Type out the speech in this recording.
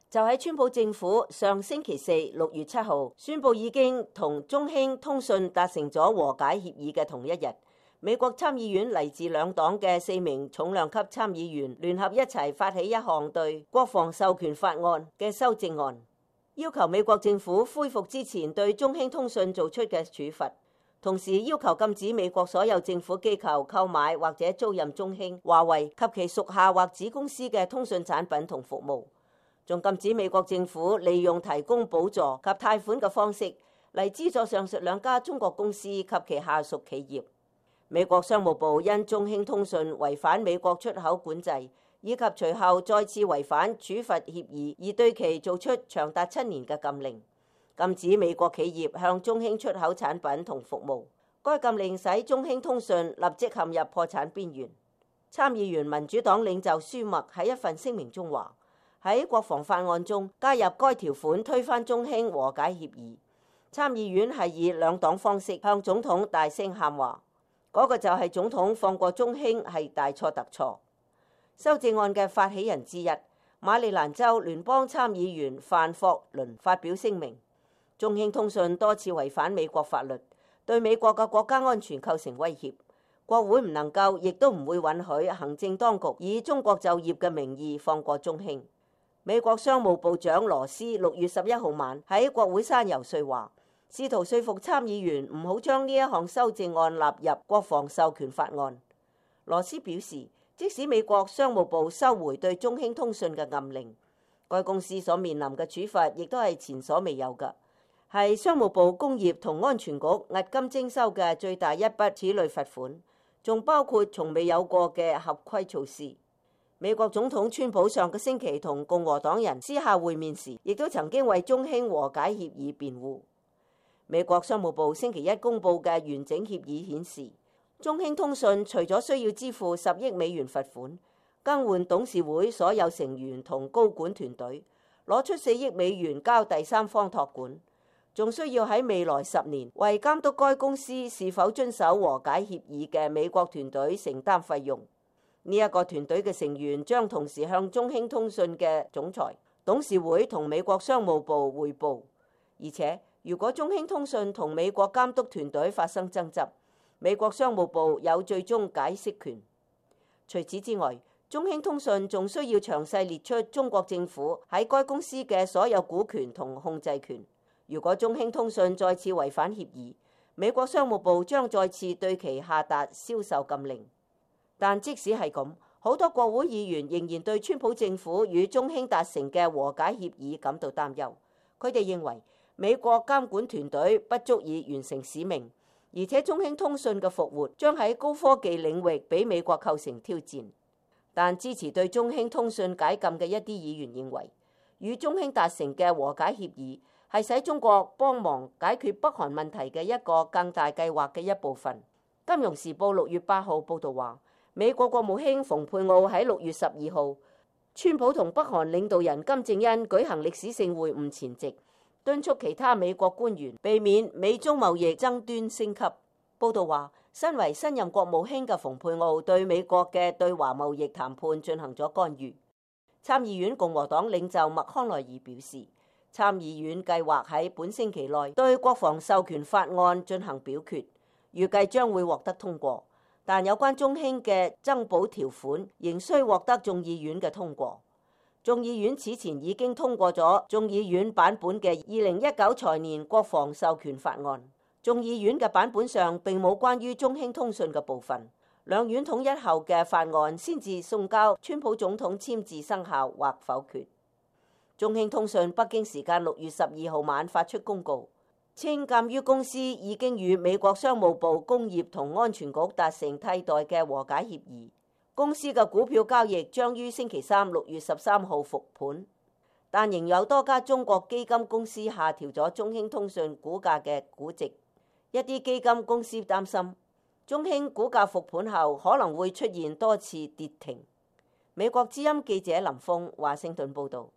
就喺川普政府上星期四6月7號宣布已經同中興通訊達成咗和解協議嘅同一日，美國參議院嚟自兩黨嘅4名重量級參議員聯合一齊發起一項對國防授權法案嘅修正案，要求美國政府恢復之前對中興通訊做出嘅處罰，同時要求禁止美國所有政府機構購買或者租賃中興、華為及其屬下或子公司嘅通訊產品同服務。仲禁止美國政府利用提供補助及貸款嘅方式嚟資助上述兩家中國公司及其下屬企業。美國商務部因中興通訊違反美國出口管制，以及隨後再次違反處罰協議，而對其做出長達7年嘅禁令，禁止美國企業向中興出口產品同服務。該禁令使中興通訊立即陷入破產邊緣。參議員民主黨領袖舒默喺一份聲明中話：喺國防法案中加入該條款推翻中興和解協議，參議院係以兩黨方式向總統大聲喊話，嗰個就係總統放過中興係大錯特錯。修正案嘅發起人之一，馬里蘭州聯邦參議員范霍倫發表聲明，中興通訊多次違反美國法律，對美國嘅國家安全構成威脅，國會唔能夠亦都唔會允許行政當局以中國就業嘅名義放過中興。美國商務部長羅斯6月11號晚喺國會山遊說話，試圖說服參議員唔好將呢一項修正案納入國防授權法案。羅斯表示，即使美國商務部收回對中興通訊嘅禁令，該公司所面臨嘅處罰亦都係前所未有嘅，係商務部工業同安全局押金徵收嘅最大一筆此類罰款，仲包括從未有過嘅合規措施。美國總統川普上個星期同共和黨人私下會面時，亦都曾經為中興和解協議辯護。美國商務部星期一公佈嘅完整協議顯示，中興通訊除咗需要支付10億美元罰款，更換董事會所有成員同高管團隊，攞出4億美元交第三方託管，仲需要喺未來10年為監督該公司是否遵守和解協議嘅美國團隊承擔費用。呢一個團隊嘅成員將同時向中興通訊嘅總裁、董事會同美國商務部匯報，而且如果中興通訊同美國監督團隊發生爭執，美國商務部有最終解釋權。除此之外，中興通訊仲需要詳細列出中國政府喺該公司嘅所有股權同控制權。如果中興通訊再次違反協議，美國商務部將再次對其下達銷售禁令。但即使係咁，好多國會議員仍然對川普政府與中興達成嘅和解協議感到擔憂。佢哋認為美國監管團隊不足以完成使命，而且中興通訊嘅復活將喺高科技領域俾美國構成挑戰。但支持對中興通訊解禁嘅一啲議員認為，與中興達成嘅和解協議係使中國幫忙解決北韓問題嘅一個更大計劃嘅一部分。金融時報6月8號報導話，美國國務卿蓬佩奧喺6月12號，川普同北韓領導人金正恩舉行歷史性會晤前夕，敦促其他美國官員避免美中貿易爭端升級。報道話，身為新任國務卿嘅蓬佩奧對美國嘅對華貿易談判進行咗干預。參議院共和黨領袖麥康奈爾表示，參議院計劃喺本星期內對國防授權法案進行表決，預計將會獲得通過。但有關中興嘅增補條款仍需獲得眾議院嘅通過。眾議院此前已經通過咗眾議院版本嘅2019財年國防授權法案。眾議院嘅版本上並冇關於中興通訊嘅部分。兩院統一後嘅法案先至送交川普總統簽字生效或否決。中興通訊北京時間6月12號晚發出公告，稱鑑於公司已經與美國商務部工業同安全局達成替代嘅和解協議，公司嘅股票交易將於星期三6月13號復盤，但仍有多家中國基金公司下調咗中興通訊股價嘅估值。一啲基金公司擔心中興股價復盤後可能會出現多次跌停。美國之音記者林峰華盛頓報導。